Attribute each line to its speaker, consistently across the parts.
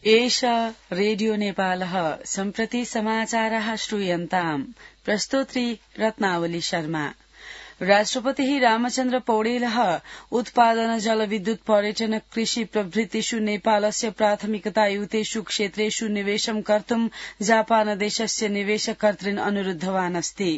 Speaker 1: एष रेडियो नेपालः सम्प्रति समाचारः श्रूयन्ताम् प्रस्तोत्री रत्नावली शर्मा। राष्ट्रपतिः रामचन्द्र पौडेलः उत्पादन जलविद्युत पर्यटन कृषि प्रभृतिषु नेपालस्य प्राथमिकतायुतेषु क्षेत्रेषु निवेशं कर्तुं जापानदेशस्य निवेशकर्तॄन् अनुरुद्धवान् अस्ति।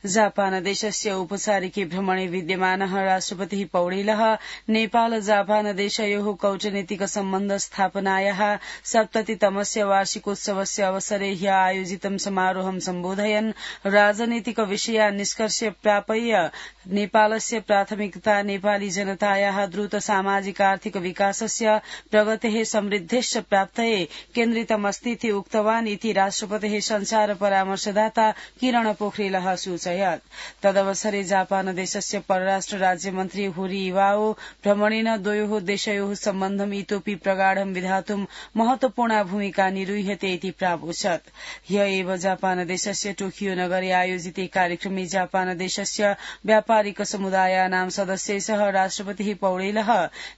Speaker 1: जापानदेशस्य औपचारिके भ्रमणे विद्यमानः राष्ट्रपतिः पौडेलः नेपाल जापानदेशयोः कूटनीतिक सम्बन्ध स्थापनायाः 70तमस्य वार्षिकोत्सवस्य अवसरे ह्य आयोजितं समारोहं सम्बोधयन् राजनीतिक विषयान् निष्कर्ष्य प्रापय्य नेपालस्य प्राथमिकता नेपाली जनतायाः द्रुत सामाजिक आर्थिक विकासस्य प्रगतेः समृद्धेश्च प्राप्तये केन्द्रितमस्तीति उक्तवान् इति राष्ट्रपतेः संचार परामर्शदाता किरण पोखरेलः सूचयत्। तदवसरे जापानदेशस्य परराष्ट्र राज्यमन्त्री हुरी इवाओ भ्रमणेन द्वयोः देशयोः सम्बन्धम् इतोपि प्रगाढं विधातुं महत्वपूर्णा भूमिका निरूह्यते इति प्रावोचत्। ह्य एव जापानदेशस्य टोकियो नगरे आयोजिते कार्यक्रमे जापानदेशस्य व्यापारिक समुदायानां सदस्यैः राष्ट्रपतिः पौडेलः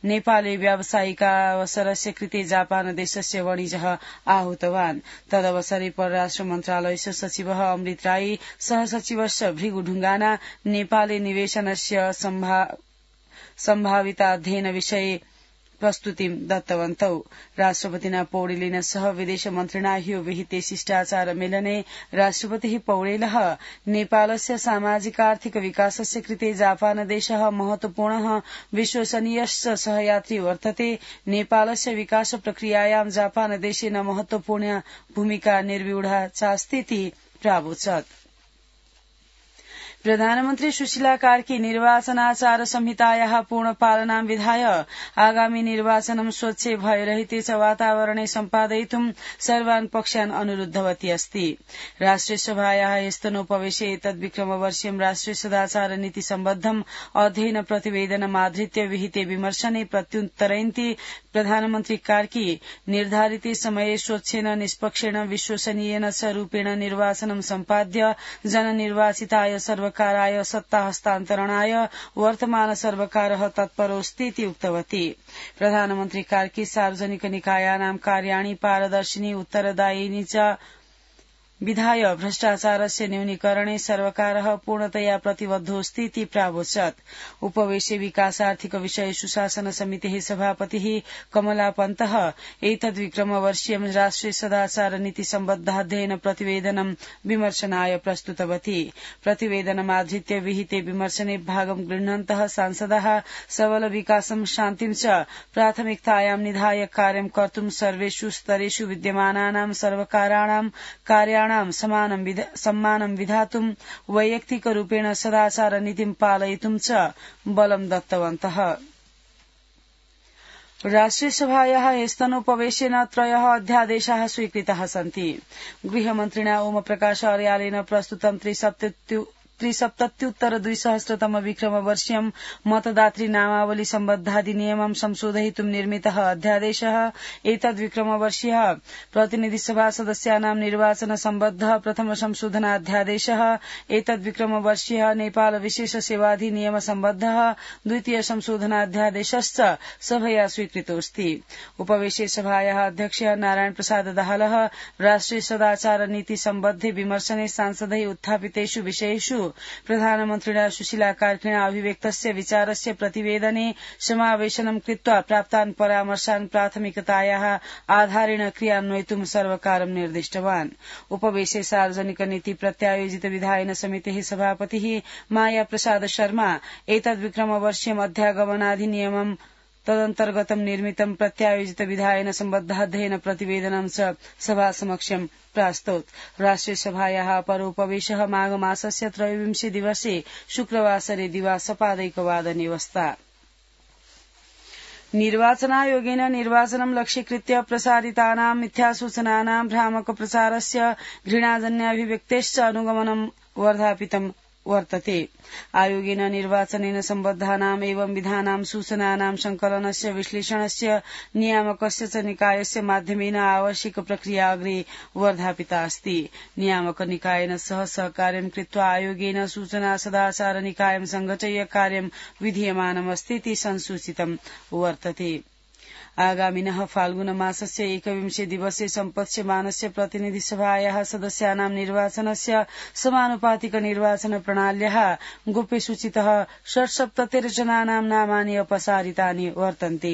Speaker 1: नेपाले व्यावसायिकावसरस्य कृते जापानदेशस्य वाणिज्यः आहूतवान्। तदवसरे परराष्ट्र मन्त्रालयस्य सचिवः अमृत राई सहसचिवश्च भृगु ढुंगाना नेपाले निवेशनस्य सम्भाविताध्ययन विषये प्रस्तुतिं दत्तवन्तौ। राष्ट्रपतिना पौडेलेन सह विदेश मन्त्रिणा ह्यो विहिते शिष्टाचार मेलने राष्ट्रपतिः पौडेलः नेपालस्य सामाजिकार्थिक विकासस्य कृते जापानदेशः महत्वपूर्णः विश्वसनीयश्च सहयात्री वर्तते। नेपालस्य विकास प्रक्रियायां जापानदेशेन महत्वपूर्ण भूमिका निर्व्यूढा चास्तीति प्रावोचत्। प्रधानमन्त्री सुशीला कार्की निर्वाचनाचार संहितायाः पूर्ण पालनां विधाय आगामी निर्वाचनं स्वच्छ भयरहिते च वातावरणे सम्पादयितुं सर्वान् पक्षान् अनुरुद्धवती अस्ति। राष्ट्रिय सभायाः ह्यस्तनोपवेशे तद्विक्रमवर्षीयं राष्ट्रिय सदाचार नीति सम्बद्धम् अध्ययन प्रतिवेदनमाधृत्य विहिते विमर्शने प्रत्युत्तरयन्ती प्रधानमन्त्री कार्की निर्धारिते समये स्वच्छेन निष्पक्षेण विश्वसनीयेन च रूपेण निर्वाचनं सम्पाद्य जननिर्वाचिताय सर्वकाराय सत्ता हस्तान्तरणाय वर्तमान सर्वकारः तत्परोऽस्तीति उक्तवती। प्रधानमन्त्री कार्की सार्वजनिक निकायानां कार्याणि पारदर्शिनी उत्तरदायिनी च विधाय भ्रष्टाचारस्य न्यूनीकरणे सर्वकारः पूर्णतया प्रतिबद्धोऽस्ति इति प्रावोचत्। उपवेशे विकासार्थिक विषय सुशासन समितेः सभापतिः कमला पन्तः एतद्विक्रमवर्षीयं राष्ट्रिय सदाचार नीति सम्बद्धाध्ययन प्रतिवेदनं विमर्शनाय प्रस्तुतवती। प्रतिवेदनमाधृत्य विहिते विमर्शने भागं गृह्णन्तः सांसदाः सबल विकासं शान्तिं च प्राथमिकतायां निधाय कार्यं कर्तुं सर्वेषु स्तरेषु विद्यमानानां सर्वकाराणां कार्याणां सम्मानं विधातुं वैयक्तिक रूपेण सदाचार नीतिं पालयितुं च बलं दत्तवन्तः। राष्ट्रिय सभायाः ह्यस्तनोपवेशेन 3 अध्यादेशाः स्वीकृताः सन्ति। गृहमन्त्रिणा ओमप्रकाश अर्यालेन प्रस्तुतं 73उत्तर-2000तम विक्रमवर्षीयं मतदातृ नामावली सम्बद्धाधिनियमं संशोधयितुं निर्मितः अध्यादेशः एतद्विक्रमवर्षीयः प्रतिनिधि सभा सदस्यानां निर्वाचन सम्बद्धः प्रथम संशोधनाध्यादेशः एतद्विक्रमवर्षीयः नेपाल विशेष सेवाधिनियम सम्बद्धः द्वितीय संशोधनाध्यादेशश्च सभया स्वीकृतोऽस्ति। उपवेशे सभायाः अध्यक्षः नारायण प्रसाद दाहालः राष्ट्रिय सदाचार नीति सम्बद्धे विमर्शने सांसदैः उत्थापितेषु विषयेषु प्रधानमन्त्रिणा सुशीला कार्किणा अभिव्यक्तस्य विचारस्य प्रतिवेदने समावेशनं कृत्वा प्राप्तान् परामर्शान् प्राथमिकतायाः आधारेण क्रियान्वयितुं सर्वकारं निर्दिष्टवान्। उपवेशे सार्वजनिक नीति प्रत्यायोजित विधायन समितेः सभापतिः माया प्रसाद शर्मा एतद्विक्रमवर्षीयम् अध्यागमनाधिनियमं तदन्तर्गतं निर्मितं प्रत्यायोजित विधायन सम्बद्धाध्ययन प्रतिवेदनं च सभासमक्षं प्रास्तौत्। राष्ट्रिय सभायाः अपरोपवेशः माघ मासस्य 23 दिवसे शुक्रवासरे दिवा सपादैकवादने वस्ता। निर्वाचनायोगेन निर्वाचनं लक्ष्यीकृत्य प्रसारितानां मिथ्यासूचनानां भ्रामक प्रचारस्य घृणाजन्याभिव्यक्तेश्च अनुगमनं वर्धापितं वर्तते। आयोगेन निर्वाचनेन सम्बद्धानाम् एवं विधानां सूचनानां संकलनस्य विश्लेषणस्य नियामकस्य च निकायस्य माध्यमेन आवश्यक प्रक्रिया अग्रे वर्धापिता अस्ति। नियामक निकायेन सह सहकार्यं कृत्वा आयोगेन सूचना सदाचार निकायं संघटय्य कार्यं विधीयमानमस्ति इति संसूचितं वर्तते। आगामिनः फाल्गुन मासस्य 21 दिवसे सम्पत्स्यमानस्य प्रतिनिधिसभायाः सदस्यानां निर्वाचनस्य समानुपातिक निर्वाचन प्रणाल्याः गोप्य सूचितः 76 जनानां नामानि अपसारितानि वर्तन्ते।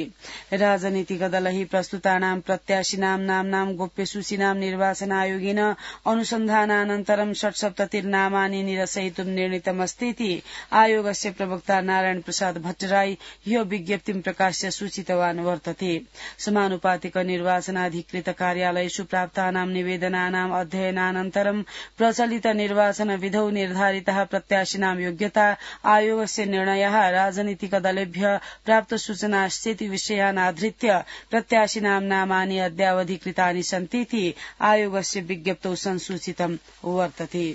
Speaker 1: राजनीतिकदलैः प्रस्तुतानां प्रत्याशिनां नाम्नां गोप्यसूचीनां निर्वाचन आयोगेन अनुसन्धानानन्तरं 76 नामानि निरसयितुं निर्णीतमस्तीति आयोगस्य प्रवक्ता नारायण प्रसाद भट्टराई ह्यो विज्ञप्तिं प्रकाश्य सूचितवान् वर्तते। समानुपातिक निर्वाचनाधिकृत कार्यालयेषु प्राप्तानां निवेदनानाम् अध्ययनानन्तरं प्रचलित निर्वाचन विधौ निर्धारितः प्रत्याशिनां योग्यता आयोगस्य निर्णयः राजनीतिकदलेभ्यः प्राप्त सूचनाश्चेति विषयानाधृत्य प्रत्याशिनां नामानि अद्यावधिकृतानि सन्तीति आयोगस्य विज्ञप्तौ संसूचितं वर्तते।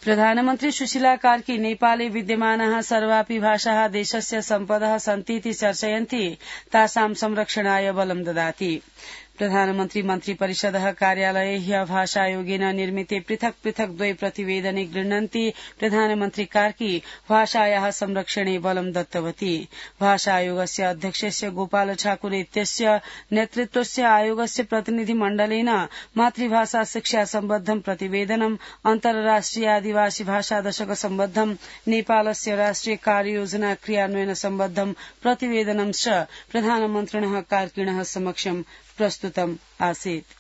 Speaker 1: प्रधानमन्त्री सुशीला कार्की नेपाले विद्यमानाः सर्वापि भाषाः देशस्य सम्पदः सन्तीति चर्चयन्ति तासां संरक्षणाय बलं ददाति। प्रधानमन्त्री मन्त्री परिषदः कार्यालये ह्यः भाषायोगेन निर्मिते पृथक् पृथक् द्वै प्रतिवेदने गृह्णन्ति प्रधानमन्त्री कार्की भाषायाः संरक्षणे बलं दत्तवती। भाषायोगस्य अध्यक्षस्य गोपाल ठाकुर इत्यस्य नेतृत्वस्य आयोगस्य प्रतिनिधिमण्डलेन मातृभाषा शिक्षा सम्बद्धं प्रतिवेदनं अन्तर्राष्ट्रिय आदिवासी भाषा दशक सम्बद्धं नेपालस्य राष्ट्रिय कार्ययोजना क्रियान्वयन सम्बद्धं प्रतिवेदनं च प्रधानमन्त्रिणः कार्किणः समक्षं प्रस्तुतम् आसीत्।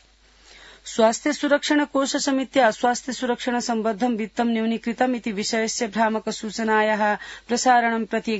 Speaker 1: स्वास्थ्य सुरक्षण कोष समित्या स्वास्थ्य सुरक्षण सम्बद्धं वित्तं न्यूनीकृतम् इति विषयस्य भ्रामक सूचनायाः प्रसारणं प्रति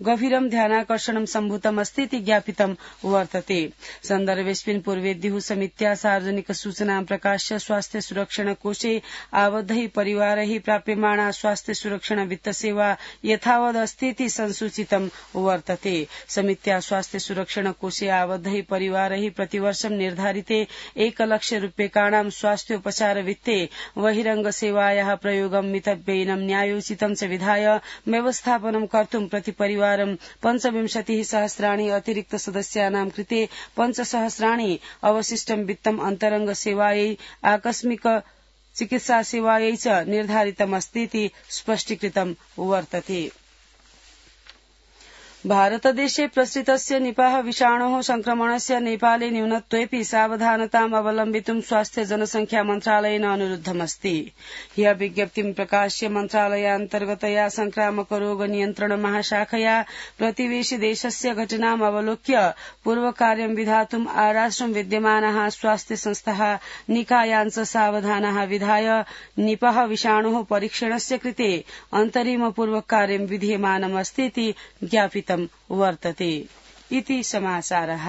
Speaker 1: गभीरं ध्यानाकर्षणं सम्भूतमस्तीति ज्ञापितं वर्तते। सन्दर्भेऽस्मिन् पूर्वेद्युः समित्या सार्वजनिक सूचनां प्रकाश्य स्वास्थ्य सुरक्षण कोषे आबद्धैः परिवारैः प्राप्यमाणा स्वास्थ्य सुरक्षण वित्तसेवा यथावदस्तीति संसूचितं वर्तते। समित्या स्वास्थ्य सुरक्षण कोषे आबद्धैः परिवारैः प्रतिवर्षं निर्धारिते 1 लाख रूप्यकाणां स्वास्थ्योपचार वित्ते बहिरंग सेवायाः प्रयोगं मितव्ययिनं न्यायोचितं च विधाय व्यवस्थापनं कर्तुं प्रति परिवार 25 सहस्राणि अतिरिक्त सदस्यानां कृते 5 सहस्राणि अवशिष्टं वित्तम् अन्तरंग सेवायै आकस्मिक चिकित्सा सेवायै च निर्धारितमस्तीति स्पष्टीकृतं वर्तते। भारतदेशे प्रसृतस्य निपाह विषाणोः संक्रमणस्य नेपाले न्यूनत्वेऽपि सावधानताम् अवलम्बितुं स्वास्थ्य जनसंख्या मन्त्रालयेन अनुरुद्धमस्ति। ह्यः विज्ञप्तिं प्रकाश्य मन्त्रालयान्तर्गतया संक्रामक रोग नियन्त्रण महाशाखया प्रतिवेशि देशस्य घटनाम् अवलोक्य पूर्वकार्यं विधातुम् आराष्ट्रं विद्यमानाः स्वास्थ्य संस्थाः निकायान् च सावधानाः विधाय निपाह विषाणोः परीक्षणस्य कृते अन्तरिम पूर्वकार्यं विधीयमानमस्तीति ज्ञापितम् वर्तते। इति समाचारः।